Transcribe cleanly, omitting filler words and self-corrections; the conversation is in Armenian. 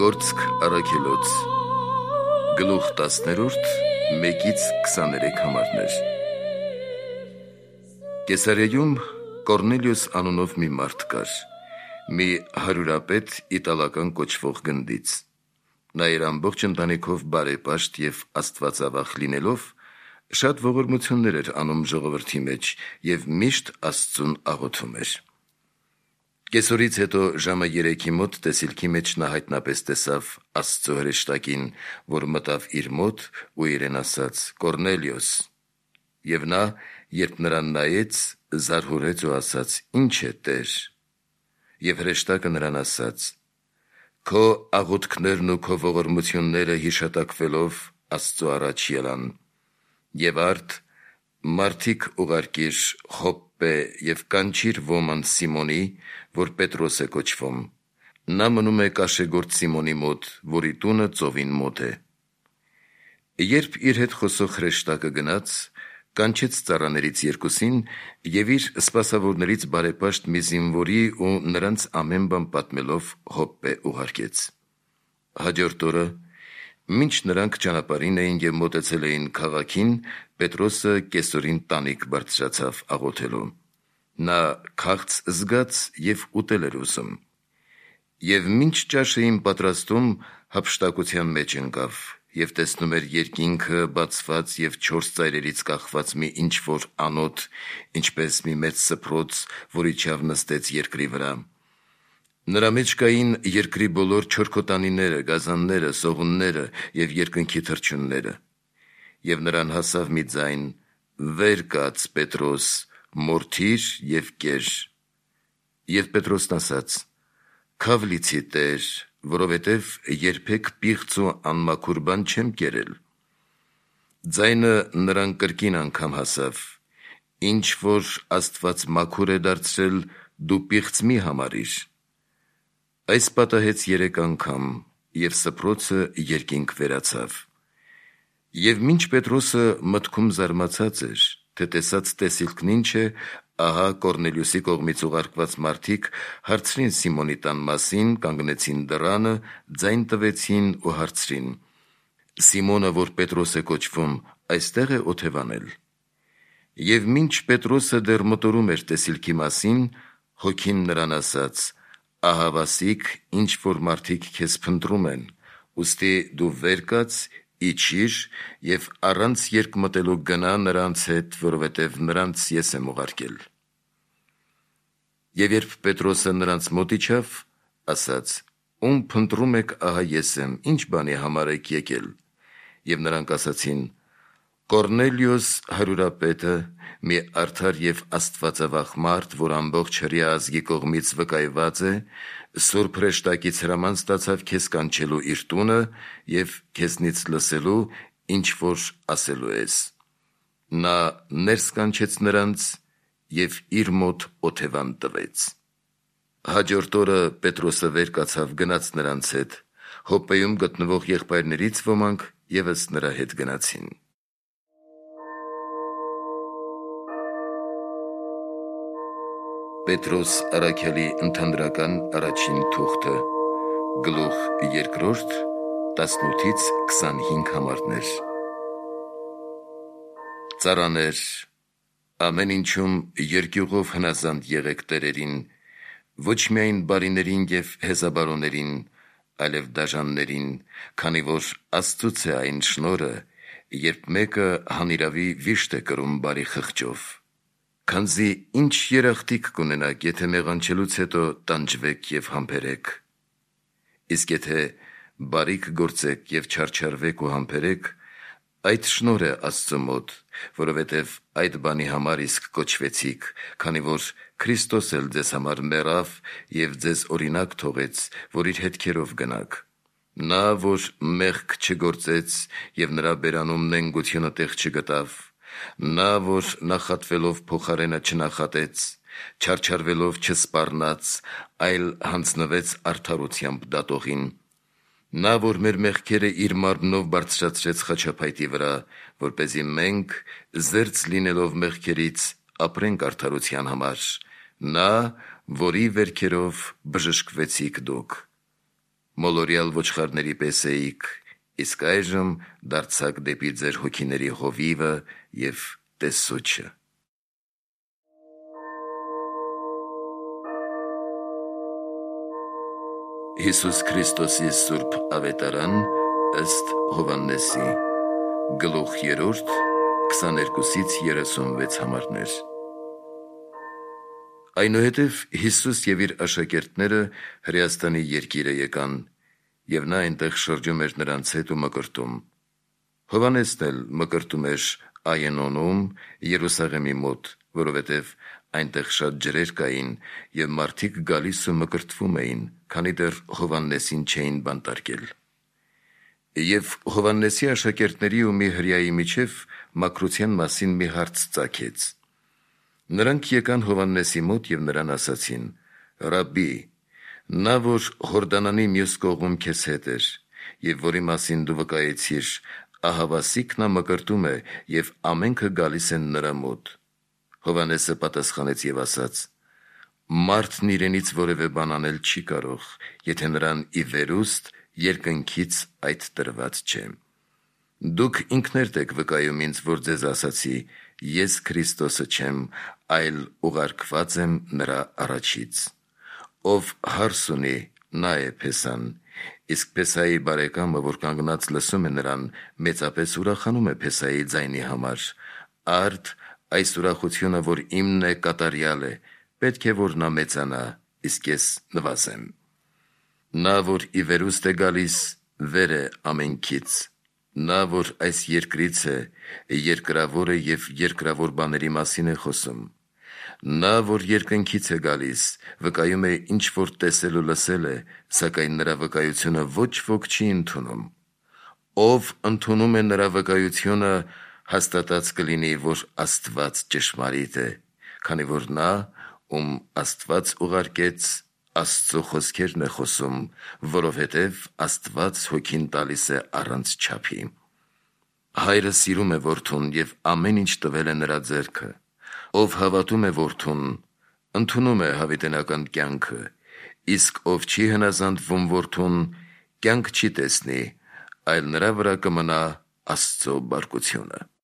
Գործք առաքելոց Գլուխ 10-րդ 1-23 համարներ Կեսարիայում Կորնելիոս անունով մի մարդ կար, մի հարյուրապետ իտալական կոչվող գնդից։ Նա իր ամբողջ ընտանիքով բարեպաշտ և աստվածավախ լինելով, շատ ողորմություններ էր անում ժողովրդի մեջ և միշտ Աստծուն աղոթում էր։ Կեսօրից հետո ժամը 3-ի մոտ տեսիլքի մեջ նա հայտնապես տեսավ Աստծո հրեշտակին, որ մտավ իր մոտ ու իրեն ասաց. «Կորնելիոս», և նա, երբ նրան նայեց, զարհուրեց ու ասաց. «Ինչ է, Տեր»։ Եվ հրեշտակը նրան ասաց. «Քո աղոթքներն ու քո ողորմությունները հիշատակվելով Աստծո առաջ ելան, և արդ մարդիկ ուղարկիր Յոպպե և կանչիր ոմն Սիմոնի, որ Պետրոս է կոչվում. նա մնում է կաշեգործ Սիմոնի մոտ, որի տունը ծովին մոտ է»։ Երբ իր հետ խոսող հրեշտակը գնաց, կանչեց ծառաներից երկուսին և իր սպասավորներից բարեպաշտ մի զինվորի ու նրանց ամեն բան պատմելով Յոպպե ուղարկեց։ Հաջորդ օրը, մինչ նրանք ճանապարհին էին և մոտեցել էին քաղաքին, Պետրոսը կեսօրին տանիք բարձրացավ աղոթելու։ Նա քաղց զգաց և ուտել էր ուզում։ Եվ մինչ ճաշ էին պատրաստում, հափշտակության մեջ ընկավ և տեսնում էր երկինքը բացված և 4 ծայրերից կախված մի ինչ-որ անոթ, ինչպես մի մեծ սփռոց, որ իջավ նստեց երկրի վրա։ Նրա մեջ կային երկրի բոլոր չորքոտանիները, գազանները, սողունները և երկնքի թռչունները։ Եվ նրան հասավ մի ձայն. «Վեր կաց, Պետրոս, մորթիր և կեր»։ Եվ Պետրոսն ասաց. «Քավ լիցի, Տեր, որովհետև երբեք պիղծ ու անմաքուր բան չեմ կերել»։ Ձայնը նրան կրկին անգամ հասավ. «Ինչ որ Աստված մաքուր է դարձրել, դու պիղծ մի համարիր»։ Այս պատահեց 3 անգամ, և սփռոցը երկինք վերացավ։ Եվ մինչ Պետրոսը մտքում զարմացած էր, թե տեսած տեսիլքն ինչ է, ահա Կորնելիոսի կողմից ուղարկված մարդիկ հարցրին Սիմոնի տան մասին, կանգնեցին դռանը, ձայն տվեցին ու հարցրին. «Սիմոնը, որ Պետրոս է կոչվում, այստե՞ղ է օթևանել»։ Եվ մինչ Պետրոսը դեռ մտորում էր տեսիլքի մասին, Հոգին նրան ասաց. «Ահավասիկ ինչ որ մարդիկ քեզ փնտրում են, ուստի դու վեր կաց, իջիր և առանց երկմտելու գնա նրանց հետ, որովհետև նրանց ես եմ ուղարկել»։ Եվ երբ Պետրոսը նրանց մոտ իջավ, ասաց. «Ում փնտրում եք, ահա ես եմ, ինչ բանի համար եք եկել»։ Եվ նրանք ասացին. «Կորնելիոս հարյուրապետը, մի արդար և աստվածավախ մարդ, որ ամբողջ հրեա ազգի կողմից վկայված է, սուրբ հրեշտակից հրաման ստացավ քեզ կանչելու իր տունը և քեզնից լսելու, ինչ որ ասելու ես»։ Նա ներս կանչեց նրանց և իր մոտ օթևան տվեց։ Հաջորդ օրը Պետրոսը վեր կացավ, գնաց նրանց հետ։ Յոպպեում գտնվող եղբայրներից ոմանք ևս նրա հետ գնացին։ Պետրոս առաքյալի ընդհանրական առաջին թուղթը, գլուխ 2, 18-25 համարներ։ Ծառաներ, ամեն ինչում երկյուղով հնազանդ եղեք տերերին, ոչ միայն բարիներին և հեզաբարոներին, այլև դաժաններին, քանի որ Աստծուց է այն շնորհը, երբ մեկը հանիրավի վիշտ է կրում բարի խղճով։ Քանզի ինչ երախտիկ կունենաք, եթե մեղանչելուց հետո տանջվեք և համբերեք։ Իսկ եթե բարիք գործեք և չարչարվեք ու համբերեք, այդ շնորհ է Աստծու մոտ, որովհետև այդ բանի համար իսկ կոչվեցիք, քանի որ Քրիստոս էլ ձեզ համար մեռավ և ձեզ օրինակ թողեց, որ իր հետքերով գնաք։ Նա, որ մեղք չգործեց և նրա բերանում նենգությունը տեղ չգտավ, նա, որ նախատվելով փոխարենը չնախատեց, չարչարվելով չսպառնաց, այլ հանձնվեց արդարությամբ դատողին, նա, որ մեր մեղքերը իր մարմնով բարձրացրեց խաչափայտի վրա, որպեսզի մենք, զերծ լինելով մեղքերից, ապրենք արդարության համար, նա, որի վերքերով բժշկվեցիք դուք։ մոլորյալ ոչխարների պես էիք, իսկ այժմ դարձաք դեպի ձեր հոգիների հովիվը և տեսուչը։ Հիսուս Քրիստոսի Սուրբ Ավետարան ըստ Հովհաննեսի, գլուխ 3, 22-36 համարներ։ Այնուհետև Հիսուս և իր աշակերտները Հրեաստանի երկիրը եկան, և նա այնտեղ շրջում էր նրանց հետ ու մկրտում։ Հովհաննեսն էլ մկրտում էր Այենոնում, Երուսաղեմի մոտ, որովհետև այնտեղ շատ ջրեր կային, և մարդիկ գալիս ու մկրտվում էին, քանի դեռ Հովհաննեսին չէին բանտարկել։ Եվ Հովհաննեսի աշակերտների ու մի հրեայի միջև մաքրության մասին մի հարց ծագեց։ Նրանք եկան Հովհաննեսի մոտ և նրան ասացին. «Ռաբբի, նա, որ Հորդանանի մյուս կողմում քեզ հետ էր, և որի մասին դու վկայեցիր, ահավասիկ նա մկրտում է, և ամենքը գալիս են նրա մոտ»։ Հովհաննեսը պատասխանեց և ասաց. «Մարդն իրենից որևէ բան անել չի կարող, եթե նրան ի վերուստ երկնքից այդ տրված չէ։ Դուք ինքներդ եք վկայում ինձ, որ ձեզ ասացի. ես Քրիստոսը չեմ, այլ ուղարկված եմ նրա առաջից։ Ով հարս ունի, նա է Փեսան, իսկ Փեսայի բարեկամը, որ կանգնած լսում է նրան, մեծապես ուրախանում է Փեսայի ձայնի համար։ Արդ այս ուրախությունը, որ իմն է, կատարյալ է, պետք է, որ նա մեծանա, իսկ ես նվազեմ։ Նա, որ ի վերուստ է գալիս, վեր է ամենքից։ Նա, որ այս երկրից է, երկրավոր է և երկրավոր բաների մասին է խոսում։ Նա, որ երկնքից է գալիս, վկայում է ինչ որ տեսել ու լսել է, սակայն նրա վկայությունը ոչ ոք չի ընդունում։ Ով ընդունում է նրա վկայությունը, հաստատած կլինի, որ Աստված ճշմարիտ է, քանի որ նա, ում Աստված ուղարկեց, Աստծո խոսքերն է խոսում, որովհետև Աստված հոգին տալիս է առանց չափի։ Հայրը սիրում է որդուն և ամեն ինչ տվել է նրա ձեռքը։ Ով հավատում է որդուն, ընդունում է հավիտենական կյանքը, իսկ ով չի հնազանդվում որդուն, կյանք չի տեսնի, այլ նրա վրա կմնա Աստծո բարկությունը։